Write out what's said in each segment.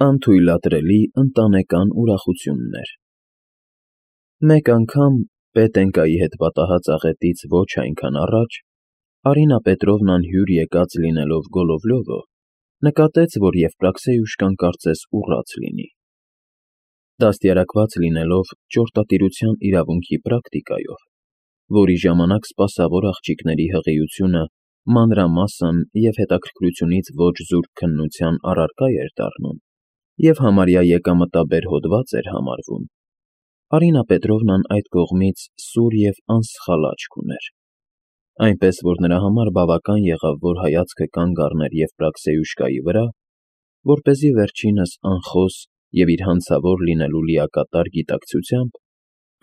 Անթույլատրելի ընտանեկան ուրախություններ։ Մեկ անգամ, Պետենկայի հետ պատահած աղետից ոչ այնքան առաջ, Արինա Պետրովնան հյուր եկած լինելով Գոլովլյովը, նկատեց, որ Եվպրաքսեյուշկան կարծես ուռած լինի։ Դաստիարակված լինելով ճորտատիրության իրավունքի պրակտիկայով, որի ժամանակ սպասավոր աղջիկների հղիությունը մանրամասն և հետաքրքրությունից ոչ զուրկ քննության առարկա էր դառնում և համարյա եկամտաբեր հոդված էր համարվում, Արինա Պետրովնան այդ կողմից սուր և անսխալ աչք ուներ, այնպես որ նրա համար բավական եղավ, որ հայացքը կանգ առներ Եվպրաքսեյուշկայի վրա, որպեսզի վերջինս անխոս և իր հանցավոր լինելու լիակատար գիտակցությամբ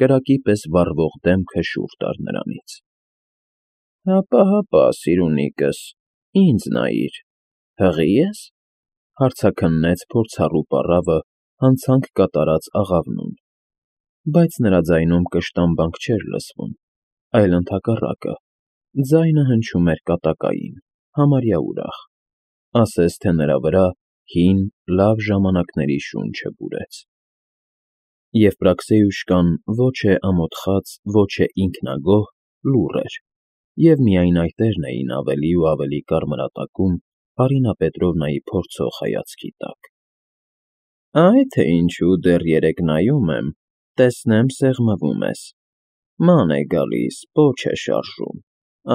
կրակի պես վառվող դեմքը շուռ տար նրանից։ Հապա, սիրունիկս, ինձ նայիր, հղի՞ ես, հարցաքննեց փորձառու պառավը հանցանք կատարած աղավնուն, բայց նրա ձայնում կշտամբանք չէր լսվում, այլ ընդհակառակը, ձայնը հնչում էր կատակային, համարյա ուրախ, ասես թե նրա վրա հին, լավ ժամանակների շունչը բուրեց։ Եվպրաքսեյուշկան ոչ է ամոթխած, ոչ է ինքնագոհ, լուռ էր, և միայն այտերն էին ավելի ու ավելի կարմրատակում Արինա Պետրովնայի փորձող հայացքի տակ։ Այ թե ինչու դեռ երեկ նայում եմ, տեսնեմ սեղմվում ես, ման է գալիս, պոչ է շարժում,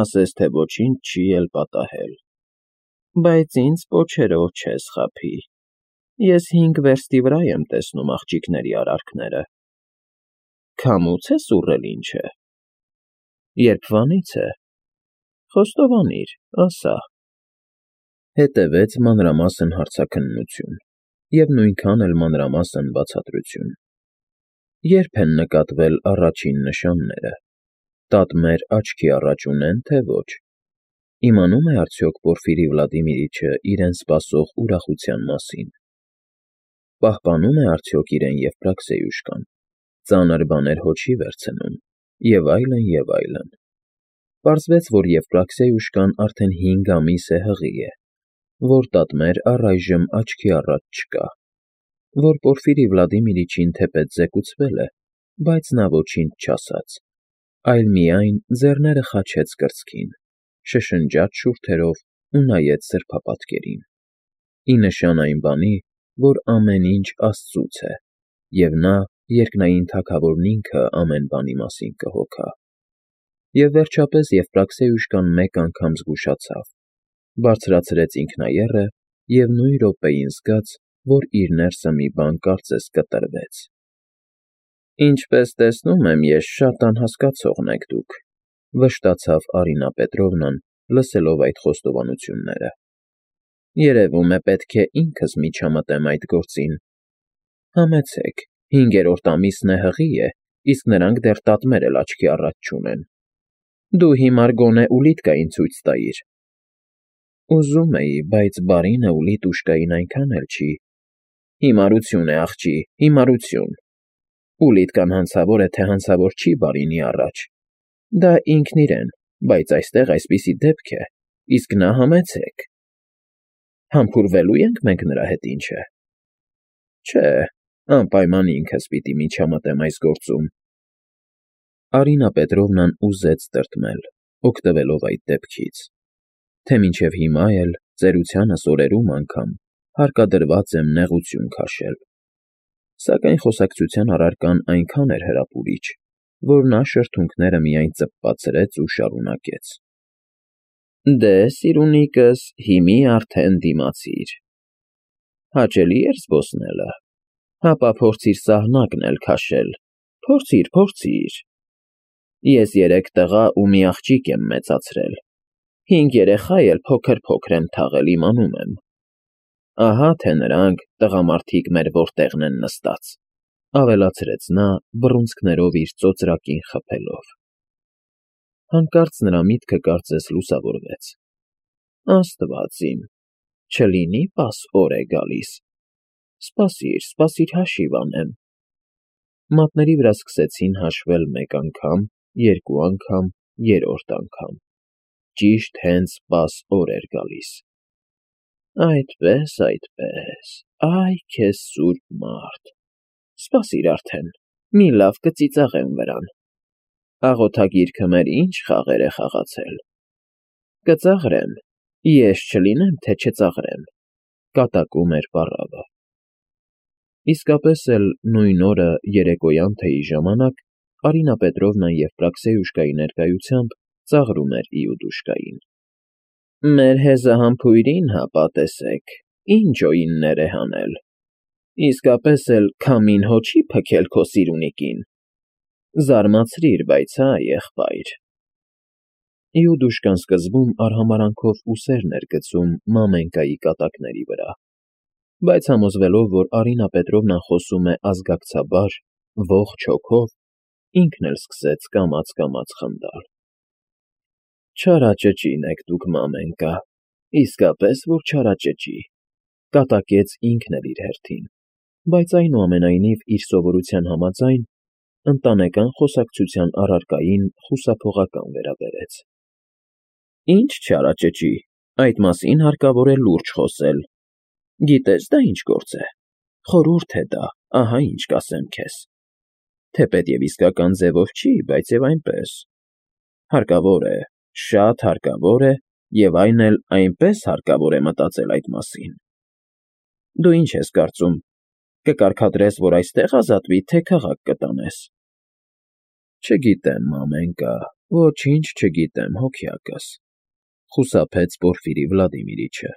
ասես թե ոչինչ չի էլ պատահել, բայց ինձ պոչերով չես խաբի, ես 5 վերստի վրա եմ տեսնում աղջիկների արարքները։ Քամուց ես ուռել ինչ է։ Երբվանից է։ Խոստովանիր, ասա։ Հետևեց մանրամասն հարցաքննություն և նույնքան էլ մանրամասն բացատրություն։ Երբ են նկատվել առաջին նշանները, տատմեր աչքի առաջ ունեն, թե ոչ, իմանում է արդյոք Պորֆիրի Վլադիմիրիչը իրեն սպասող ուրախության մասին, պահպանում է արդյոք իրեն Եվպրաքսեյուշկան, ծանր բաներ հոչի վերցնում, և այլն, և այլն։ Պարզվեց, որ Եվպրաքսեյուշկան արդեն 5 ամիս է հղի է, որ տատմեր առայժմ աչքի առաջ չկա, որ Պորֆիրի Վլադիմիրիչին թեպետ զեկուցվել է, բայց նա ոչինչ չասաց, այլ միայն ձեռները խաչեց կրծքին, շշնջաց շուրթերով ու նայեց սրբապատկերին, ի նշան այն բանի, որ ամեն ինչ Աստծուց է, և նա երկնային Թագավորն ինքը ամեն բանի մասին կհոգա։ Եվ վերջապես Եվպրաքսեյուշկան մեկ անգամ զգուշացավ, բարձրացրեց ինքնաեռը և նույն րոպեին զգաց, որ իր ներսը մի բան կարծես կտրվեց։ Ինչպես տեսնում եմ, ես շատ անհասկացողն եք դուք, վշտացավ Արինա Պետրովնան, լսելով այդ խոստովանությունները։ Երևում է, պետք է ինքս միջամտեմ այդ գործին։ Համեցեք, 5-րդ ամիսն է հղի է, իսկ նրանք դեռ տատմեր էլ աչքի առաջ չունեն։ Դու հիմար գոնե ուլիտկային ցույց տայիր։ Ուզում էի, բայց բարինը ուլիտ ուշկային այնքան էլ չի։ Հիմարություն է, աղջի, հիմարություն։ Ուլիտկան հանցավոր է, թե հանցավոր չի բարինի առաջ։ Դա ինքն իրեն, բայց այստեղ այսպիսի դեպք է, իսկ նա համեցեք։ Համբուրվելու ենք մենք նրա հետ, ինչ է։ Չէ, անպայման ինքս պիտի միջամտեմ այս գործում։ Արինա Պետրովնան ուզեց տրտմել, օգտվելով այդ դեպքից, թե մինչև հիմա էլ, ծերությանս օրերում անգամ, հարկադրված եմ նեղություն քաշել, սակայն խոսակցության առարկան այնքան էր հրապուրիչ, որ նա շրթունքները միայն ծպպացրեց ու շարունակեց. Դե, սիրունիկս, հիմի արդեն դիմացիր։ Հաճելի էր զբոսնելը, հապա փորձիր սահնակն էլ քաշել, փորձիր։ Ես 3 տղա ու մի աղջիկ եմ մեծացրել, 5 երեխա էլ փոքր եմ թաղել, իմանում եմ։ Ահա թե նրանք, տղամարդիկ, մեր որտեղն են նստած, ավելացրեց նա, բռունցքներով իր ծոծրակին խփելով։ Հանկարծ նրա միտքը կարծես լուսավորվեց։ Աստված իմ, չլինի պաս օր է գալիս։ Սպասիր, հաշիվ անեմ։ Մատների վրա սկսեցին հաշվել 1 անգամ, 2 անգամ, 3-րդ անգամ։ Ճիշտ հենց պաս օր էր գալիս։ Այդպես, Այ քեզ սուրբ մարդ, սպասիր արդեն, մի լավ կծիծաղեմ վրան, աղոթագիրքը մեր ինչ խաղեր է խաղացել, կծաղրեմ, ես չլինեմ, թե չծաղրեմ, կատակում էր պառավը։ Իսկապես էլ նույն օրը երեկոյան թեյի ժամանակ Արինա Պետրովնան Եվպրաքսեյուշկայի ներկայությամբ ծաղրում էր Իուդուշկային։ Մեր հեզահամբույրին հապա տեսեք, ինչ օիններ է հանել, իսկապես էլ քամին հո չի փքել քո սիրունիկին, զարմացրիր, բայց հա, եղբայր։ Իուդուշկան սկզբում արհամարանքով ուսերն էր գցում Մամենկայի կատակների վրա, բայց համոզվելով, որ Արինա Պետրովնան խոսում է ազգակցաբար, ողջ հոգով, ինքն էլ սկսեց կամաց խնդալ։ Չարաճճին եք դուք, Մամենկա, իսկապես որ չարաճճի, կատակեց ինքն էլ իր հերթին, բայց այնուամենայնիվ իր սովորության համաձայն ընտանեկան խոսակցության առարկային խուսափողական վերաբերեց։ Ինչ չարաճճի, այդ մասին հարկավոր է լուրջ խոսել։ Գիտես դա ինչ գործ է, խորհուրդ է դա, ահա ինչ կասեմ քեզ, թեպետև իսկական ձևով չի, բայց և այնպես, հարկավոր է, շատ հարկավոր է, և այն էլ այնպես հարկավոր է մտածել այդ մասին։ Դու ինչ ես կարծում, կկարգադրես, որ այստեղ ազատվի, թե քաղաք կտանես։ Չգիտեմ, Մամենկա, ոչինչ չգիտեմ, հոգյակս, խուսափեց Պորֆիրի Վլադիմիրիչը,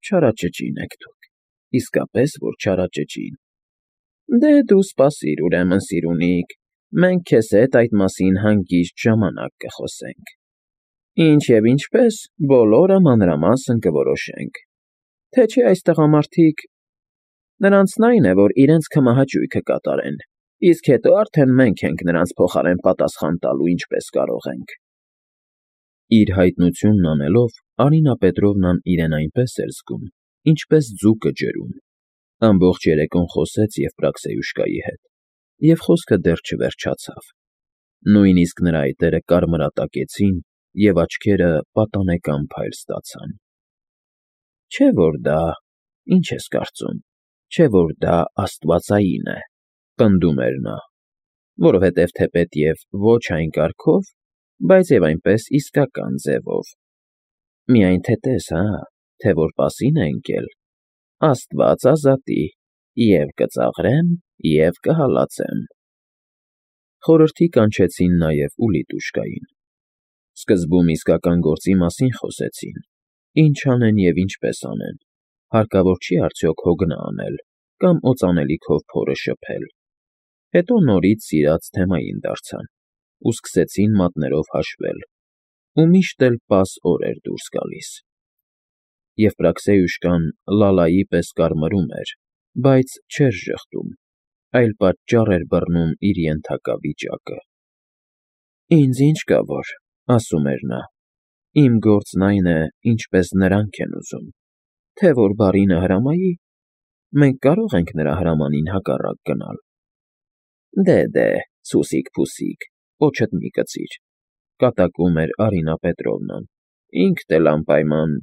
չարաճճին եք դուք, իսկապես որ չարաճճին։ Դե դու սպասիր ուրեմն, սիրունիկ, մենք քեզ հետ այդ մասին հանգիստ ժամանակ կխոսենք։ Ինչ և ինչպես, բոլորը մանրամասն կորոշենք, թե չէ այս տղամարդիկ… Նրանցն այն է, որ իրենց քմահաճույքը կատարեն, իսկ հետո արդեն մենք ենք նրանց փոխարեն պատասխան տալու ինչպես կարող ենք։ Իր հայտնությունն անելով Արինա Պետրովնան իրեն այնպես էր զգում, ինչպես ձուկը ջրում, ամբողջ երեկոն խոսեց Եվպրաքսեյուշկայի հետ, և խոսքը դեռ չվերջացավ, նույնիսկ նրա այտերը կարմրատակեցին և աչքերը պատանեկան փայլ ստացան։ Չէ՞ որ դա, ինչ ես կարծում, չէ՞ որ դա աստվածային է, պնդում էր նա, որովհետև թեպետև ոչ այն կարգով, բայց և այնպես իսկական ձևով։ Միայն թե տես, հա, թե որ պասին է ընկել, Աստված ազատի, և կծաղրեմ, և կհալածեմ։ Խորհրդի կանչեցին նաև Ուլիտուշկային։ Սկզբում իսկական գործի մասին խոսեցին. ինչ անեն և ինչպես անեն, հարկավոր չի արդյոք հոգնա անել կամ օծանելիքով փորը շփել։ Հետո նորից սիրած թեմային դարձան ու սկսեցին մատներով հաշվել, ու միշտ էլ պաս օր էր դուրս գալիս։ Եվպրաքսեյուշկան լալայի պես կարմրում էր, բայց չէր ժխտում, այլ պատճառ էր բռնում իր ենթակա վիճակը։ Ինձ ինչ կա որ, ասում էր նա, իմ գործն այն է, ինչպես նրանք են ուզում, թե որ բարինը հրամայի, մենք կարող ենք նրա հրամանին հակառակ գնալ։ Դե, սուսիկ֊փուսիկ, պոչդ մի կծիր, կատակում էր Արինա Պետրովնան, ինքդ էլ անպայման…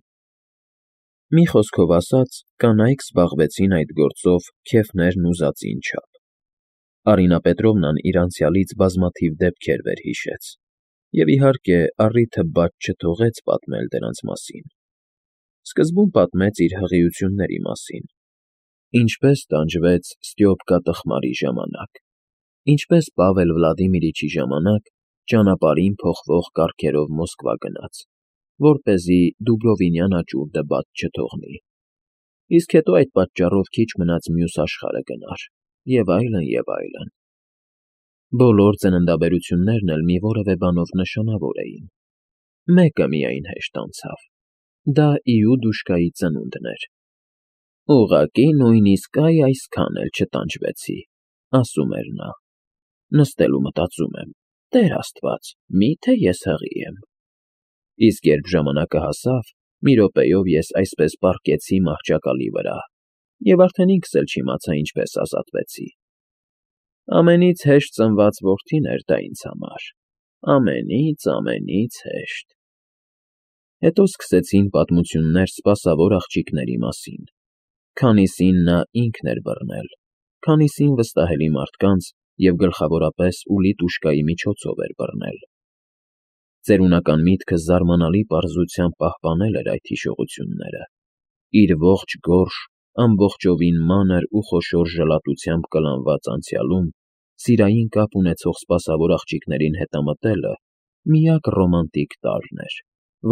Մի խոսքով ասած, կանայք զբաղվեցին այդ գործով քեֆներն ուզածին չափ։ Արինա Պետրովնան իր անցյալից բազմաթիվ դեպքեր վերհիշեց և, իհարկե, առիթը բաց չթողեց պատմել դրանց մասին։ Սկզբում պատմեց իր հղիությունների մասին, ինչպես տանջվեց Ստյոպկա տխմարի ժամանակ, ինչպես Պավել Վլադիմիրիչի ժամանակ ճանապարհին փոխվող կառքերով Մոսկվա գնաց, որպեսզի Դուբրովինյան աճուրդը բաց չթողնի, իսկ հետո այդ պատճառով քիչ մնաց մյուս աշխարհը գնար, և այլն, և այլն։ Բոլոր ծննդաբերություններն էլ մի որևէ բանով նշանավոր էին։ Մեկը միայն հեշտ անցավ. դա Իուդուշկայի ծնունդն էր։ Ուղղակի նույնիսկ այսքան էլ չտանջվեցի, ասում էր նա, նստել ու մտածում եմ. Տեր Աստված, մի՞թե ես հղի եմ։ Իսկ երբ ժամանակը հասավ, մի րոպեով ես այսպես պառկեցի մահճակալի վրա, և արդեն ինքս էլ չիմացա ինչպես ազատվեցի։ Ամենից հեշտ ծնված որդին էր դա ինձ համար, ամենից հեշտ։ Հետո սկսեցին պատմություններ սպասավոր աղջիկների մասին, Քանիսին նա ինքն էր բռնել, քանիսին վստահելի մարդկանց և գլխավորապես ուլի տուշկայի միջոցով էր բռնել։ Ծերունական միտքը զարմանալի պարզությամբ պահպանել էր այդ հիշողությունները, իր ողջ գորշ, ամբողջովին մանր ու խոշոր ժլատությամբ կլանված անցյալում սիրային կապ ունեցող սպասավոր աղջիկներին հետամտելը միակ ռոմանտիկ տարրն էր,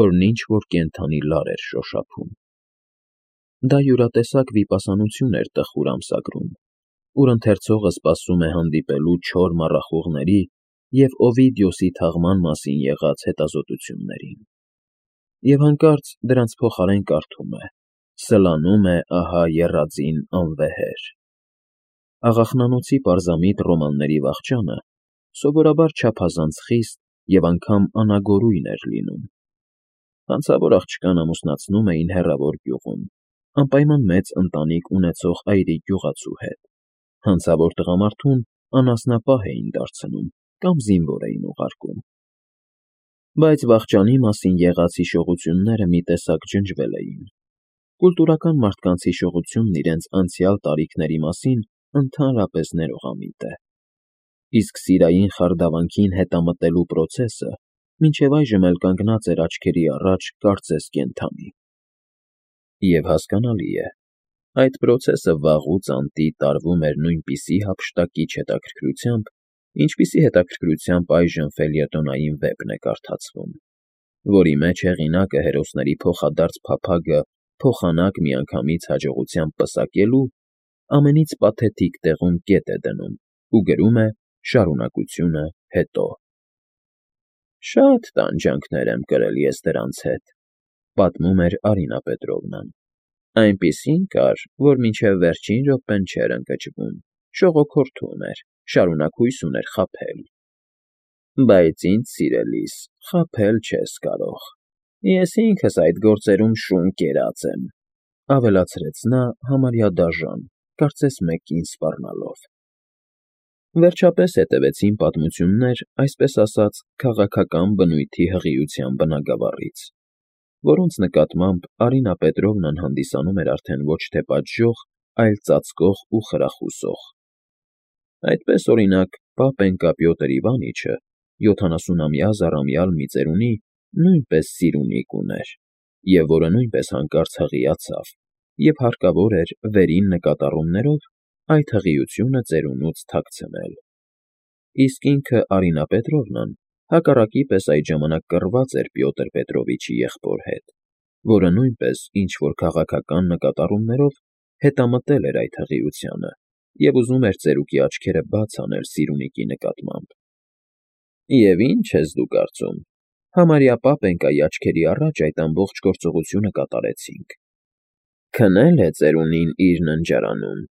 որն ինչ-որ կենդանի լար էր շոշափում։ Դա յուրատեսակ վիպասանություն էր տխուր ամսագրում, ուր ընթերցողը սպասում է հանդիպելու չոր մառախուղների և Օվիդիոսի թաղման մասին եղած հետազոտություններին, և հանկարծ դրանց փոխարեն կարդում է. «Սլանում է ահա եռաձին անվեհեր»։ Աղախնանոցի պարզամիտ ռոմանների վախճանը սովորաբար չափազանց խիստ և անգամ անագորույն էր լինում։ Հանցավոր աղջկան ամուսնացնում էին հեռավոր գյուղում, անպայման մեծ ընտանիք ունեցող այրի գյուղացու հետ, հանցավոր տղամարդուն անասնապահ էին դարձնում կամ զինվոր էին ուղարկում։ Բայց վախճանի մասին եղած հիշողությունները մի տեսակ ջնջվել էին։ Կուլտուրական մարդկանց հիշողությունն իրենց անցյալ տարիքների մասին ընդհանրապես ներողամիտ է, իսկ սիրային խարդավանքին հետամտելու պրոցեսը մինչև այժմ էլ կանգնած էր աչքերի առաջ կարծես կենդանի։ Եվ հասկանալի է, այդ պրոցեսը վաղուց անտի տարվում էր նույնպիսի հափշտակիչ հետաքրքրությամբ, ինչպիսի հետաքրքրությամբ այժմ ֆելյետոնային վեպն է կարդացվում, որի մեջ հեղինակը հերոսների փոխադարձ փափագը փոխանակ միանգամից հաջողությամբ պսակելու ամենից պաթետիկ տեղում կետ է դնում ու գրում է շարունակությունը հետո։ «Շատ տանջանքներ եմ կրել ես դրանց հետ», ֊ պատմում էր Արինա Պետրովնան։ «Այնպիսին կար, որ մինչև վերջին րոպեն չէր ընկճվում, շողոքորթում էր, շարունակ հույս ուներ խաբել։ Բայց ինձ, սիրելիս, խաբել չես կարող։ Ես ինքս այդ գործերում շուն կերած եմ», ֊ ավելացրեց նա համարյա դաժան, կարծես մեկին սպառնալով։ Վերջապես հետևեցին պատմություններ, այսպես ասած, քաղաքական բնույթի հղիության բնագավառից, որոնց նկատմամբ Արինա Պետրովնան հանդիսանում էր արդեն ոչ թե պատժող, այլ ծածկող ու խրախուսող։ Այդպես, օրինակ, պապենկա Պյոտր Իվանիչը 70-ամյա զառամյալ մի ծերունի նույնպես սիրունիկ ուներ, և որը նույնպես հանկարծ հղիացավ, և հարկավոր էր վերին նկատառումներով այդ հղիությունը ծերունուց թաքցնել։ Իսկ ինքը Արինա Պետրովնան հակառակի պես այդ ժամանակ կռված էր Պյոտր Պետրովիչի եղբոր հետ, որը նույնպես ինչ֊որ քաղաքական նկատառումներով հետամտել էր այդ հղիությանը և ուզում էր ծերուկի աչքերը բաց անել սիրունիկի նկատմամբ։ «Եվ ի՞նչ ես դու կարծում, համարյա պապենկայի աչքերի առաջ այդ ամբողջ գործողությունը կատարեցինք։ Քնել է ծերունին իր ննջարանում,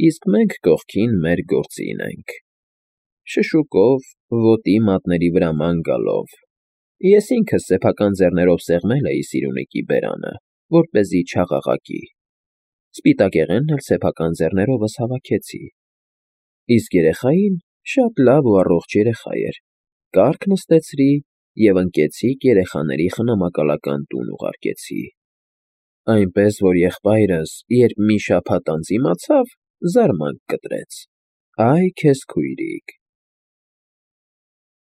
իսկ մենք կողքին մեր գործին ենք։ Շշուկով, ոտի մատների վրա ման գալով, ես ինքս սեփական ձեռներով սեղմել էի սիրունիկի բերանը, որպեսզի չաղաղակի, սպիտակեղենն էլ սեփական ձեռներովս հավաքեցի։ Իսկ երեխային, շատ լավ ու առողջ երեխա էր, կառք նստեցրի և ընկեցիկ երեխաների խնամակալական տուն ուղարկեցի։ Այնպես որ եղբայրս, երբ մի շաբաթ անց իմացավ, զարմանք կտրեց. «Այ քեզ քույրիկ,